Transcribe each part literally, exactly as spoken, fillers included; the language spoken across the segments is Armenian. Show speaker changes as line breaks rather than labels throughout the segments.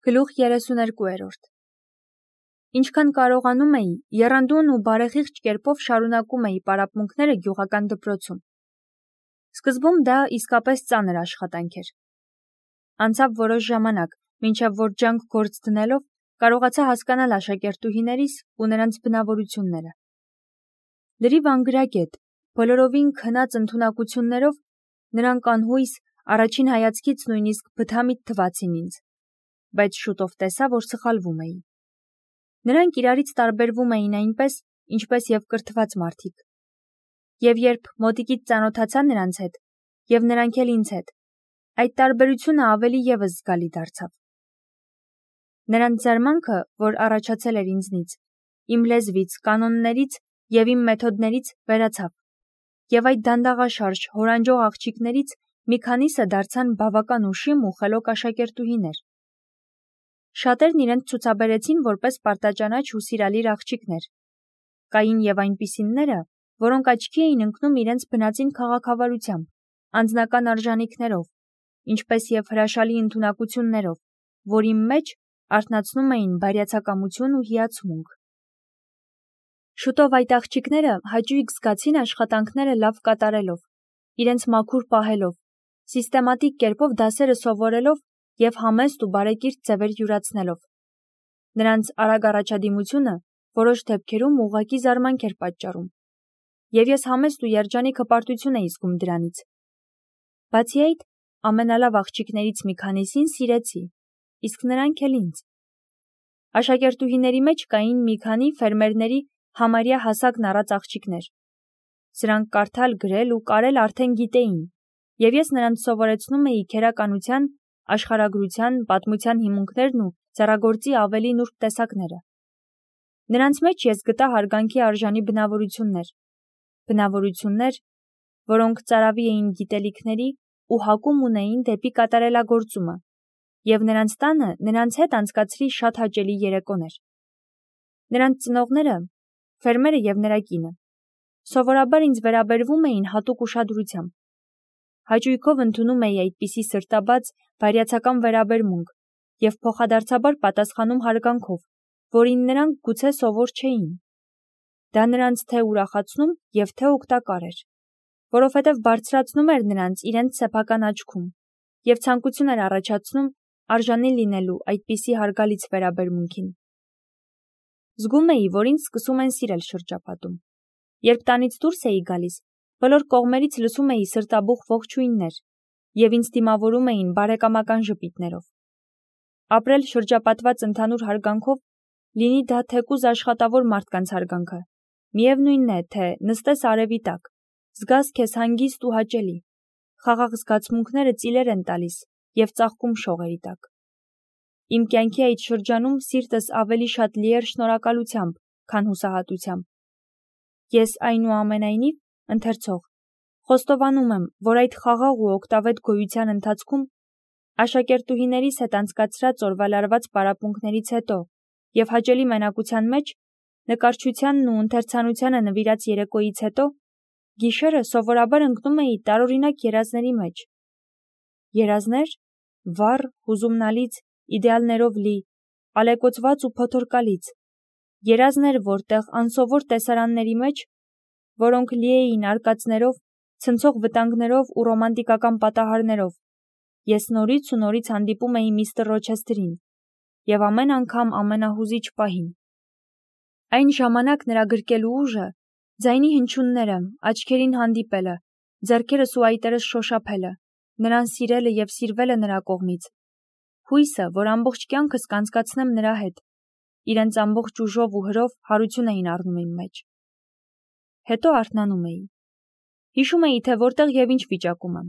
Գլուխ երեսուներկուերորդ Ինչքան կարողանում էի, եռանդուն ու բարեխիղճ կերպով շարունակում էի պարապմունքները գյուղական դպրոցում։ Սկզբում դա իսկապես ծանր աշխատանք էր։ Անցավ որոշ ժամանակ, մինչև որ ջանք գործ դնելով կարողացա հասկանալ աշակերտուհիներիս ու նրանց բնավորությունները։ Լրիվ անգրագետ, բոլորովին քնած ընդունակություններով նրանք անհույս, առաջին հայացքից նույնիսկ բթամիտ թվացին ինձ, բայց շուտով տեսա, որ սխալվում էի։ Նրանք իրարից տարբերվում էին այնպես, ինչպես և կրթված մարդիկ։ Եվ երբ մոտիկից ծանոթացա նրանց հետ, և նրանք էլ ինձ հետ, այդ տարբերությունը ավելի ևս զգալի դարձավ։ Նրանց զարմանքը, որ առաջացել էր ինձնից, իմ լեզվից, կանոններից և իմ մեթոդներից վերացավ, և այդ դանդաղաշարժ, հորանջող աղջիկներից մի քանիսը դարձան բավական ուշիմ ու խելոք աշակերտուհիներ։ Շատերն իրենց ցուցաբերեցին որպես պարտաճանաչ ու սիրալիր աղջիկներ։ Կային և այնպիսիները, որոնք աչքի էին ընկնում իրենց բնածին քաղաքավարությամբ, անձնական արժանիքներով, ինչպես և հրաշալի ընդունակություններով, որի մեջ արթնացնում էին բարյացակամություն ու հիացմունք։ Շուտով այդ աղջիկները հաճույք զգացին աշխատանքները լավ կատարելով, իրենց մաքուր պահելով, սիստեմատիկ կերպով դասերը սովորելով և համեստ ու բարեկիրթ ձևեր յուրացնելով։ Նրանց արագ առաջադիմությունը որոշ դեպքերում ուղղակի զարմանք էր պատճառում, և ես համեստ ու երջանիկ հպարտություն էի զգում դրանից։ Բացի այդ, ամենալավ աղջիկներից մի քանիսին սիրեցի, իսկ նրանք էլ ինձ։ Աշակերտուհիների մեջ կային մի քանի ֆերմերների համարյա հասակն առած աղջիկներ։ Սրանք կարդալ, գրել ու կարել արդեն գիտեին, և ես նրանց սովորեցնում էի քերականության, աշխարհագրության, պատմության հիմունքներն ու ձեռագործի ավելի նուրբ տեսակները։ Նրանց մեջ ես գտա հարգանքի արժանի բնավորություններ, բնավորություններ, որոնք ծարավի էին գիտելիքների ու հակում ունեին դեպի կատարելագործումը, և նրանց տանը նրանց հետ անցկացրի շատ հաճելի երեկոներ։ Նրանց ծնողները, ֆերմերը և նրա կինը, սովորաբար ինձ վերաբերվում էին հատուկ ուշադրությամբ։ Հաճույքով ընդունում էի այդպիսի սրտաբաց, բարյացակամ վերաբերմունք և փոխադարձաբար պատասխանում հարգանքով, որին նրանք գուցե սովոր չէին։ Դա նրանց թե ուրախացնում և թե օգտակար էր, որովհետև բարձրացնում էր նրանց իրենց սեփական աչքում և ցանկություն էր առաջացնում արժանի լինելու այդպիսի հարգալից վերաբերմունքին։ Զգում էի, որ ինձ սկսում են սիրել շրջապատում։ Երբ տանից դուրս էի գալիս, բոլոր կողմերից լսում էի սրտաբուխ ողջույններ, և ինձ դիմավորում էին բարեկամական ժպիտներով։ Ապրել շրջապատված ընդհանուր հարգանքով, լինի դա թեկուզ աշխատավոր մարդկանց հարգանքը, միևնույնն է, թե նստես արևի տակ, զգաս քեզ հանգիստ ու հաճելի, խաղաղ զգացմունքները ծիլեր են տալիս և ծաղկում շողերի տակ։ Իմ կյանքի այդ շրջանում սիրտս ավելի շատ լի էր շնորհակալությամբ, քան հուսահատությամբ։ Ես այնուամենայնիվ, ընթերցող, խոստովանում եմ, որ այդ խաղաղ ու օգտավետ գոյության ընթացքում աշակերտուհիներիս հետ անցկացրած օրվա լարված պարապմունքներից հետո և հաճելի մենակության մեջ, նկարչությանն ու ընթերցանությանը նվիրած երեկոյից հետո, գիշերը սովորաբար ընկնում էի տարօրինակ երազների մեջ։ Երազներ՝ վառ, հուզումնալից, իդեալներով լի, ալեկոծված ու փոթորկալից։ Երազներ, որտեղ անսովոր տեսարանների մեջ, որոնք լի էին արկածներով, ցնցող վտանգներով ու ռոմանտիկական պատահարներով, ես նորից ու նորից հանդիպում էի միստր Ռոչեսթերին, և ամեն անգամ ամենահուզիչ պահին։ Այն ժամանակ նրա գրկելու ուժը, ձայնի հնչյունները, աչքերին հանդիպելը, ձեռքերս ու այտերս շոշափելը, նրան սիրելը և սիրվելը նրա կողմից, հույսը, որ ամբողջ կյանքս կանցկացնեմ նրա հետ, իրենց ամբողջ ուժով ու հրով հարություն էին առնում իմ մեջ։ Հետո արթնանում էի։ Հիշում էի, թե որտեղ և ինչ վիճակում եմ։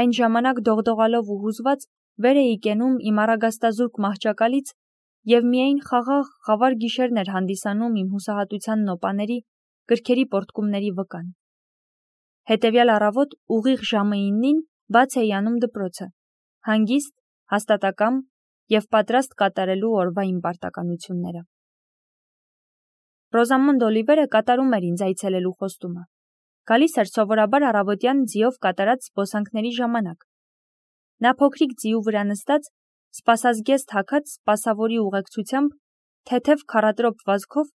Այն ժամանակ դողդողալով ու հուզված վեր էի կենում իմ առագաստազուրկ մահճակալից, և միայն խաղաղ, խավար գիշերն էր հանդիսանում իմ հուսահատության նոպաների, գրքերի պոռթկումների վկան։ Հետևյալ առավոտ ուղիղ ժամը իննին բաց էի անում դպրոցը, հանգիստ, հաստատակամ և պատրաստ կատարելու օրվա իմ պարտականությունները։ Ռոզամոնդ Օլիվերը կատարում էր ինձ այցելելու խոստումը։ Գալիս էր սովորաբար առավոտյան ձիով կատարած զբոսանքների ժամանակ։ Նա փոքրիկ ձիու վրա նստած, սպասազգեստ հագած սպասավորի ուղեկցությամբ թեթև քառատրոպ վազքով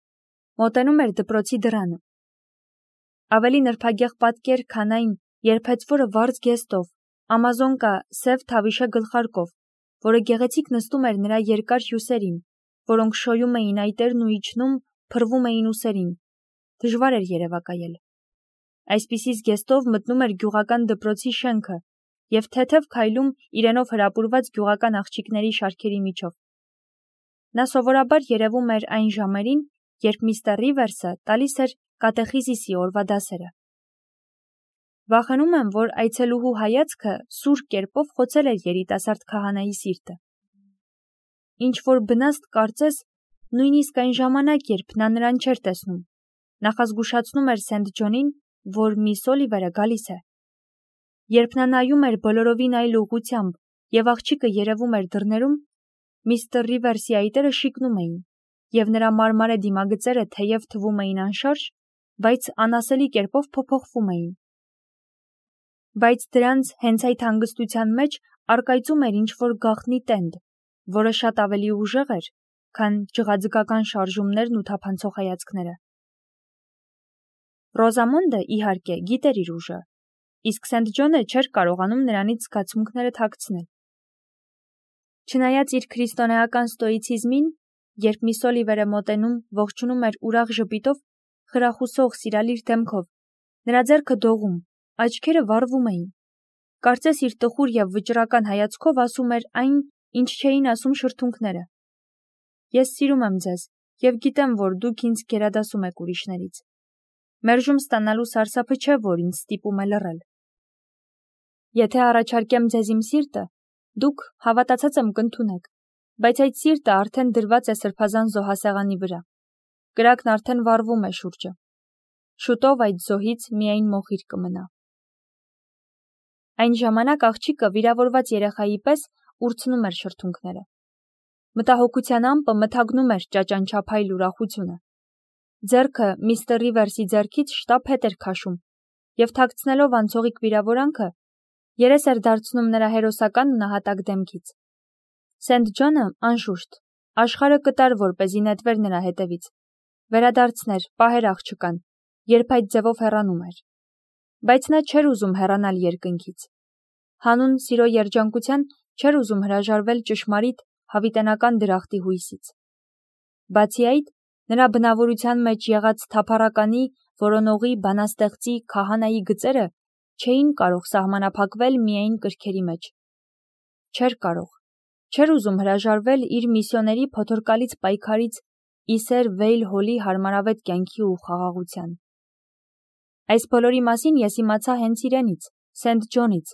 մոտենում էր դպրոցի դռանը։ Ավելի նրբագեղ պատկեր, քան այն, երբ հեծվորը վարձ գեստով, ամազոնկա սև թավիշե գլխարկով, որը գեղեցիկ նստում էր նրա երկար հյուսերին, որոնք շոյում էին այտերն ու իջնում, փռվում էին ուսերին, դժվար էր երևակայել։ Այսպիսի զգեստով մտնում էր գյուղական դպրոցի շենքը և թեթև քայլում իրենով հրապուրված գյուղական աղջիկների շարքերի միջով։ Նա սովորաբար երևում էր այն ժամերին, երբ միստր Ռիվերսը տալիս էր կատեխիզիսի օրվա դասերը։ Վախենում եմ, որ այցելուհու հայացքը սուր կերպով խոցել էր երիտասարդ քահանայի սիրտը։ Ինչ-որ բնաստ կարծես, նույնիսկ այն ժամանակ, երբ նա նրան չէր տեսնում, նախազգուշացնում էր Սենթ Ջոնին, որ միս Օլիվերը գալիս է։ Երբ նա նայում էր բոլորովին այլ ուղղությամբ և աղջիկը երևում էր դռներում, միստր Ռիվերսի այտերը շիկնում էին, և նրա մարմարե դիմագծերը թեև թվում էին անշարժ, բայց անասելի կերպով փոփոխվում էին։ Բայց դրանց հենց այդ հանգստության մեջ առկայծում էր ինչ-որ գաղտնի տենդ, որը շատ ավելի ուժեղ էր, քան ջղաձգական շարժումներն ու թափանցող հայացքները։ Ռոզամոնդը, իհարկե, գիտեր իր ուժը, իսկ Սենթ Ջոնը չէր կարողանում նրանից զգացմունքները թաքցնել։ Չնայած իր քրիստոնեական ստոիցիզմին, երբ միս Օլիվերը մոտենում, ողջունում էր ուրախ ժպիտով, խրախուսող, սիրալիր դեմքով, նրա ձեռքը դողում, աչքերը վառվում էին։ Կարծես իր տխուր և վճռական հայացքով ասում էր այն, ինչ չէին ասում շրթունքները։ Ես սիրում եմ ձեզ և գիտեմ, որ դուք ինձ գերադասում եք ուրիշներից։ Մերժում ստանալու սարսափը չէ, որ ինձ ստիպում է լռել։ Եթե առաջարկեմ ձեզ իմ սիրտը, դուք, հավատացած եմ, կընդունեք, բայց այդ սիրտը արդեն դրված է սրբազան զոհասեղանի վրա։ Կրակն արդեն վառվում է շուրջը։ Շուտով այդ զոհից միայն մոխիր կմնա։ Այն ժամանակ աղջիկը վիրավորված երեխայի պես ուրցնում էր շրթունքները։ Մտահոգության ամպը մթագնում էր ճաճանչափայլ ուրախությունը։ Ձեռքը միստր Ռիվերսի ձեռքից շտապ հետ էր քաշում և թաքցնելով անցողիկ վիրավորանքը, երես էր դարձնում նրա հերոսական ու նահատակ դեմքից։ Սենթ Ջոնը, անշուշտ, աշխարհը կտար, որպեսզի նետվեր նրա հետևից, վերադարձներ, պահեր աղջկան, երբ այդ ձևով հեռանում էր։ Բայց նա չէր ուզում հեռանալ երկնքից։ Հանուն սիրո երջանկության չէր ուզում հրաժարվել ճշմարիտ, հավիտենական դրախտի հույսից։ Բացի այդ, նրա բնավորության մեջ եղած թափառականի, որոնողի, բանաստեղծի, քահանայի գծերը չէին կարող սահմանափակվել միայն կրքերի մեջ։ Չէր կարող, չէր ուզում հրաժարվել իր միսիոների փոթորկալից պայքարից Իսեր Վեյլ Հոլի հարմարավետ կյանքի ու խաղաղության։ Այս բոլորի մասին ես իմացա հենց իրենից, Սենթ Ջոնից,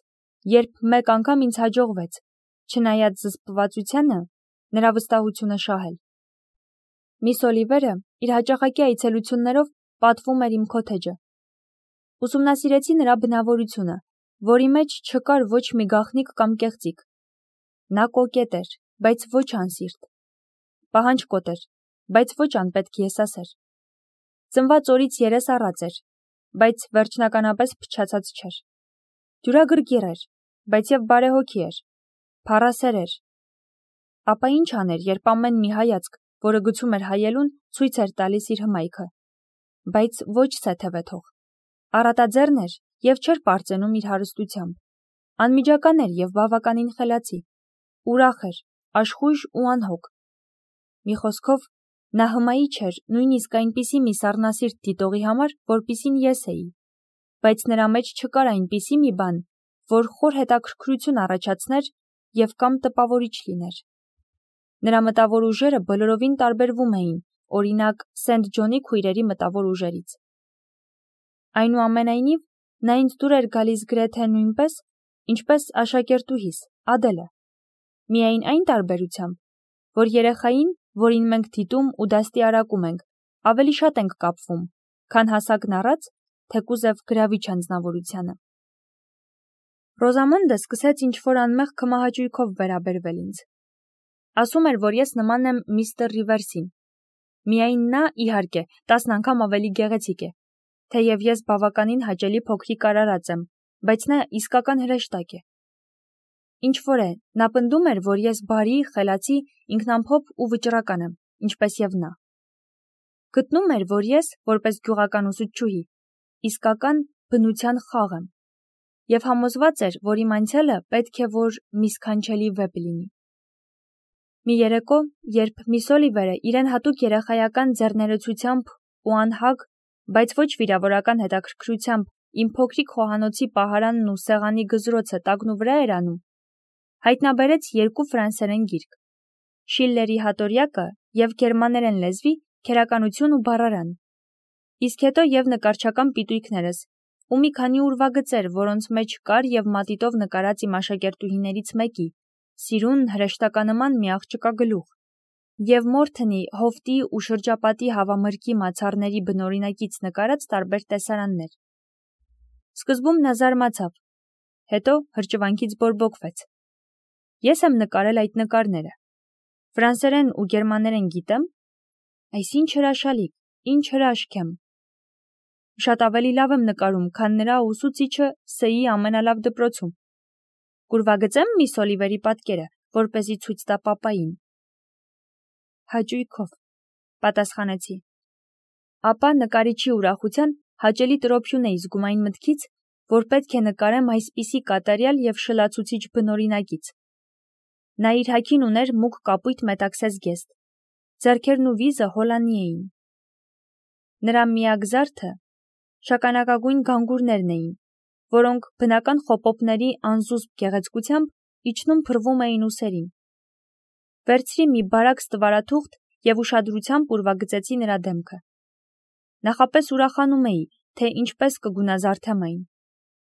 երբ մեկ անգամ ինձ հաջողվեց, չնայած զսպվածությանը, նրա վստահությունը շահել։ Միս Օլիվերը իր հաճախակի այցելություններով պատվում էր իմ քոթեջը։ Ուսումնասիրեցի նրա բնավորությունը, որի մեջ չկար ոչ մի գաղտնիք կամ կեղծիք։ Նա կոկետ էր, բայց ոչ անսիրտ։ Պահանջկոտ էր, բայց ոչ անպետք եսասեր։ Ծնված օրից երես առած էր, բայց վերջնականապես փչացած չէր։ Դյուրագրգիռ էր, բայց և բարեհոգի էր, փառասեր էր։ Ապա ինչ աներ, երբ ամեն մի հայացք, որը գցում էր հայելուն, ցույց էր տալիս իր հմայքը։ Բայց ոչ սեթևեթող։ Առատաձեռն էր և չէր պարծենում իր հարստությամբ։ Անմիջական էր և բավականին խելացի։ Ուրախ էր, աշխույժ ու անհոգ։ Մի խոսքով, նա հմայի չէր նույնիսկ այնպիսի մի սառնասիրտ դիտողի համար, որպիսին ես էի, բայց նրա մեջ չկար այնպիսի մի բան, որ խոր հետաքրքրություն առաջացներ և կամ տպավորիչ լիներ։ Նրա մտավոր ուժերը բոլորովին տարբերվում էին, օրինակ, Սենթ Ջոնի քույրերի մտավոր ուժերից։ Այնուամենայնիվ, նա ինձ դուր էր գալիս գրեթե նույնպես, ինչպես աշակերտուհիս, Ադելը։ Միայն այն տարբերությամբ, որ երեխային, որին մենք դիտում ու դաստիարակում ենք, ավելի շատ ենք կապվում, քան հասակն առած, թեկուզև գրավիչ անձնավորությանը։ Ռոզամոնդը սկսեց ինչ-որ անմեղ քմահաճույքով վերաբերվել ինձ։ Ասում էր, որ ես նման եմ միստր Ռիվերսին։ Միայն նա, իհարկե, տասն անգամ ավելի գեղեցիկ է, թեև ես բավականին հաճելի փոքրիկ արարած եմ, բայց նա իսկական հրեշտակ է։ Ինչ-որ է, նա պնդում էր, որ ես բարի, խելացի, ինքնամփոփ ու վճռական եմ, ինչպես եւ նա։ Գտնում էր, որ ես, որպես գյուղական ուսուցչուհի, իսկական բնության խաղ եմ, եւ համոզված էր, որ իմ անցյալը պետք է որ մի սքանչելի վեպ լինի։ Մի երեկո, երբ միս Օլիվերը իրեն հատուկ երեխայական ձեռներեցությամբ ու անհագ, բայց ոչ վիրավորական հետաքրքրությամբ իմ փոքրիկ խոհանոցի պահարանն ու սեղանի գզրոցը տակնու վրա էր անում, հայտնաբերեց երկու ֆրանսերեն գիրք՝ Շիլլերի «Հատորյակը» եւ գերմաներեն լեզվի «Քերականություն ու բառարան», իսկ հետո եւ նկարչական պիտույքներս ու մի քանի ուրվագծեր, որոնց մեջ կար եւ մատիտով նկարած իմ աշակերտուհիներից մեկի, սիրուն հրեշտականման մի աղջկա գլուխ, եւ Մորթնի հովտի ու շրջապատի հավամրգի մացառների բնօրինակից նկարած տարբեր տեսարաններ։ Սկզբում նա զարմացավ, հետո հրճվանքից բորբոքվեց։ Ես եմ նկարել այդ նկարները։ Ֆրանսերեն ու գերմաներեն գիտեմ, այս ինչ հրաշալիք, ինչ հրաշք եմ։ Շատ ավելի լավ եմ նկարում, քան նրա ուսուցիչը Ս-ի ամենալավ դպրոցում։ Կուրվագծեմ միս Օլիվերի պատկերը, որպեսզի ցույց տա պապային։ Հաճույքով, պատասխանեցի։ Ապա նկարիչի ուրախության հաճելի տրոփյուն էի զգում այն մտքից, որ պետք է նկարեմ այսպիսի կատարյալ եւ շլացուցիչ բնօրինակից։ Նա իր հագին ուներ մուգ կապույտ մետաքսես գեստ, ձեռքերն ու վիզը հոլանի էին։ Նրա միակ զարդը շագանակագույն գանգուրներն էին, որոնք բնական խոպոպների անզուսպ գեղեցկությամբ իջնում փռվում էին ուսերին։ Վերցրի մի բարակ ստվարաթուղթ եւ ուշադրությամբ ուրվագծեցի նրա դեմքը։ Նախապես ուրախանում էի, թե ինչպես կգունազարդեմ այն,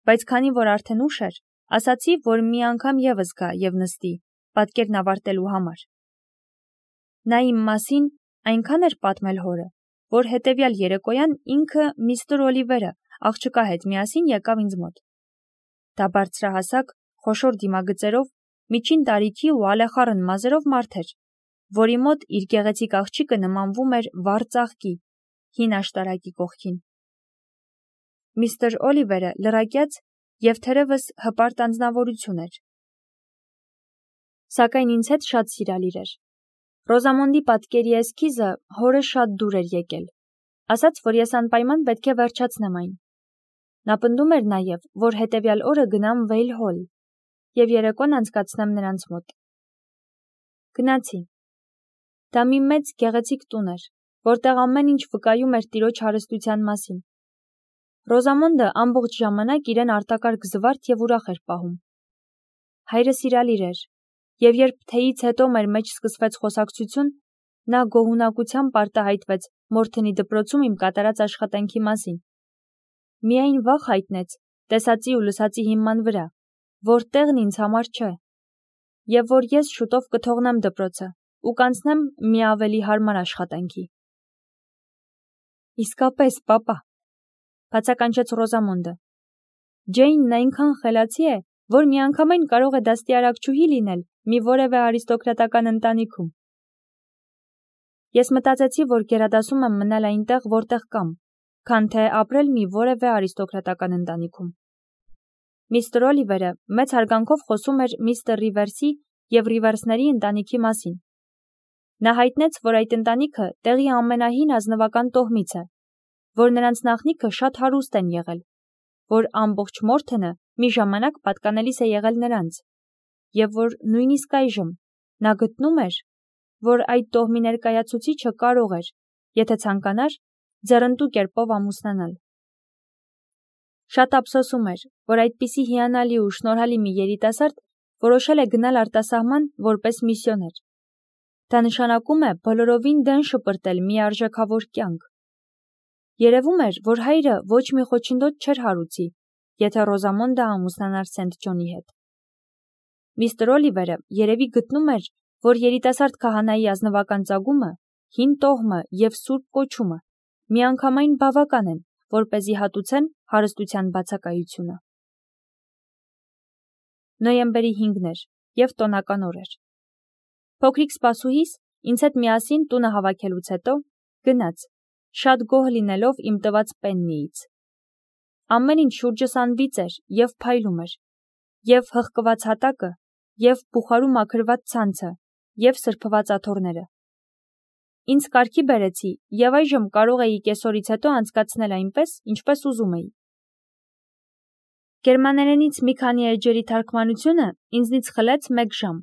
բայց քանի որ արդեն ուշ էր, ասացի, որ մի անգամ եւս գա եւ նստի, պատկերն ավարտելու համար։ Նա իմ մասին այնքան էր պատմել հորը, որ հետևյալ երեկոյան ինքը միստր Օլիվերը աղջկա հետ միասին եկավ ինձ մոտ։ Դա բարձրահասակ, խոշոր դիմագծերով, միջին տարիքի ու ալեխառն մազերով մարդ էր, որի մոտ իր գեղեցիկ աղջիկը նմանվում էր վառ ծաղկի, հին աշտարակի կողքին։ Միստր Օլիվերը լրակյաց եւ թերևս հպարտ անձնավորություն էր։ Սակայն ինձ հետ շատ սիրալիր էր։ Ռոզամոնդի պատկերի էսքիզը հորը շատ դուր էր եկել, ասաց, որ ես անպայման պետք է վերջացնեմ այն։ Նա պնդում էր նաև, որ հետևյալ օրը գնամ Վեյլ Հոլ եւ երեկոն անցկացնեմ նրանց մոտ։ Գնացի։ Դա մի մեծ գեղեցիկ տուն էր, որտեղ ամեն ինչ վկայում էր տիրոջ հարստության մասին։ Ռոզամոնդը ամբողջ ժամանակ իրեն արտակարգ զվարթ եւ ուրախ էր պահում։ Հայրը սիրալիր էր, եւ երբ թեյից հետո մեր մեջ սկսվեց խոսակցություն, նա գոհունակությամբ արտահայտվեց Մորթնի դպրոցում իմ կատարած աշխատանքի մասին։ Միայն վախ հայտնեց տեսածի ու լսածի հիման վրա, որ տեղն ինձ համար չէ, եւ որ ես շուտով կթողնեմ դպրոցը ու կանցնեմ մի ավելի հարմար աշխատանքի։ Իսկապես, պապա, բացականչեց Ռոզամոնդը։ Ջեյնն այնքան խելացի է, որ միանգամայն կարող է դաստիարակչուհի լինել մի որևէ արիստոկրատական ընտանիքում։ Ես մտածեցի, որ գերադասում եմ մնալ այնտեղ, որտեղ կամ, քան թե ապրել մի որևէ արիստոկրատական ընտանիքում։ Միստր Օլիվերը մեծ հարգանքով խոսում էր միստր Ռիվերսի եւ Ռիվերսների ընտանիքի մասին։ Նա հայտնեց, որ այդ ընտանիքը տեղի ամենահին ազնվական տոհմից է, որ նրանց նախնիքը շատ հարուստ են եղել, որ ամբողջ Մորթոնը մի ժամանակ պատկանելիս է եղել նրանց, եւ որ նույնիսկ այժմ նա գտնում էր, որ այդ տոհմի ներկայացուցիչը կարող էր, եթե ցանկանար, ձեռնտու կերպով ամուսնանալ։ Շատ ափսոսում էր, որ այդպիսի հիանալի ու շնորհալի մի երիտասարդ որոշել է գնալ արտասահման որպես միսիոներ։ Դա նշանակում է բոլորովին դեն շպրտել մի արժեքավոր կյանք։ Երևում էր, որ հայրը ոչ մի խոչընդոտ չէր հարուցի, եթե Ռոզամոնդը ամուսնանար Սենթ Ջոնի հետ։ Միստր Օլիվերը երևի գտնում էր, որ երիտասարդ քահանայի ազնվական ծագումը, հին տոհմը եւ սուրբ կոչումը միանգամայն բավական են, որպեսզի հատուցեն հարստության բացակայությունը։ Նոյեմբերի հինգն էր եւ տոնական օր էր։ Փոքրիկ սպասուհիս ինձ հետ միասին տունը հավաքելուց հետո գնաց, շատ գոհ լինելով իմ տված պեննիից։ Ամեն ինչ շուրջս անվիծ էր եւ փայլում էր, եւ հղկված հատակը և բուխարու մաքրված ցանցը, և սրբված աթոռները։ Ինձ կարգի բերեցի, և այժմ կարող էի կեսօրից հետո անցկացնել այնպես, ինչպես ուզում էի։ Գերմաներենից մի քանի էջերի թարգմանությունը ինձնից խլեց մեկ ժամ։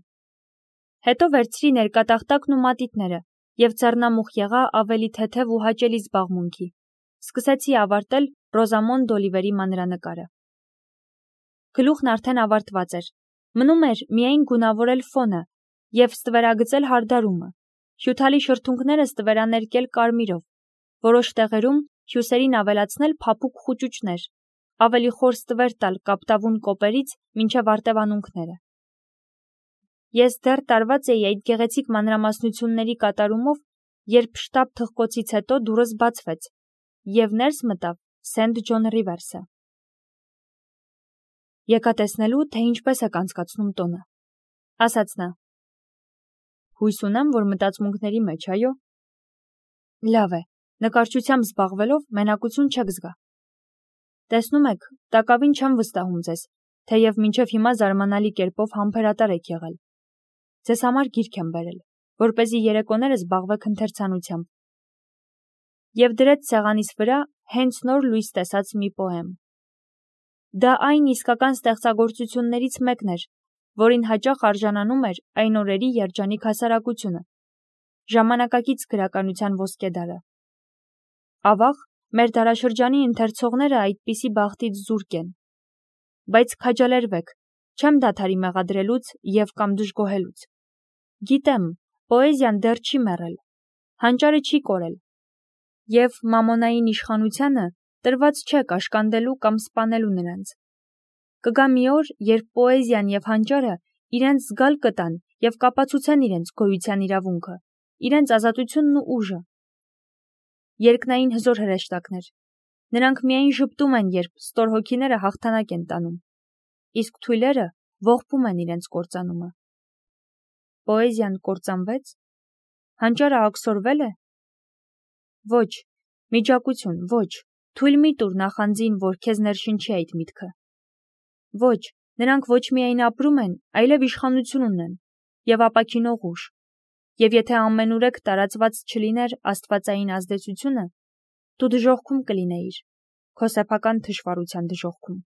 Հետո վերցրի ներկատախտակն ու մատիտները և ձեռնամուխ եղա ավելի թեթև ու հաճելի զբաղմունքի։ Սկսեցի ավարտել Ռոզամոնդ Օլիվերի մանրանկարը։ Գլուխն արդեն ավարտված էր։ Մնում էր միայն գունավորել ֆոնը և ստվերագծել հարդարումը, հյութալի շրթունքները ստվերաներկել կարմիրով, որոշ տեղերում հյուսերին ավելացնել փափուկ խուճուճներ, ավելի խոր ստվեր տալ կապտավուն կոպերից մինչև արտևանունքները։ Ես դեռ տարված էի այդ գեղեցիկ մանրամասնությունների կատարումով, երբ շտապ թխկոցից հետո դուռս բացվեց, և ներս մտավ Սենթ Ջոն Ռիվերսը։ Եկա տեսնելու, թե ինչպես եք անցկացնում տոնը, ասաց նա։ Հույս ունեմ, որ մտածմունքների մեջ, այո։ Լավ է, նկարչությամբ զբաղվելով մենակություն չեք զգա։ Տեսնում եք, տակավին չեմ վստահում ձեզ, թեև մինչև հիմա զարմանալի կերպով համբերատար եք եղել։ Ձեզ համար գիրք եմ բերել, որպեսզի երեկոները զբաղվեք ընթերցանությամբ։ Եվ դրեց սեղանիս վրա հենց նոր լույս տեսած մի պոեմ։ Դա այն իսկական ստեղծագործություններից մեկն էր, որին հաճախ արժանանում էր այն օրերի երջանիկ հասարակությունը, ժամանակակից գրականության ոսկեդարը։ Ավաղ, մեր դարաշրջանի ընթերցողները այդպիսի բախտից զուրկ են։ Բայց քաջալերվեք, չեմ դադարի մեղադրելուց և կամ դժգոհելուց։ Գիտեմ, պոեզիան դեռ չի մեռել, հանճարը չի կորել, և մամոնային իշխանությանը տրված չէ կաշկանդելու կամ սպանելու նրանց։ Կգա մի օր, երբ պոեզիան և հանճարը իրենց զգալ կտան և կապացուցեն իրենց գոյության իրավունքը, իրենց ազատությունն ու ուժը։ Երկնային հզոր հրեշտակներ։ Նրանք միայն ժպտում են, երբ ստոր հոգիները հաղթանակ են տանում, իսկ թույլերը ողբում են իրենց կործանումը։ Պոեզիան կործանվեց։ Հանճարը աքսորվե՞լ է։ Ոչ, միջակություն, ոչ, թույլ մի տուր նախանձին, որ քեզ ներշնչի այդ միտքը։ Ոչ, նրանք ոչ միայն ապրում են, այլև իշխանություն ունեն և ապաքինող ուժ, և եթե ամենուրեք տարածված չլիներ աստվածային ազդեցությունը, դու դժոխքում կլինեիր, քո սեփական թշվառության դժոխքում։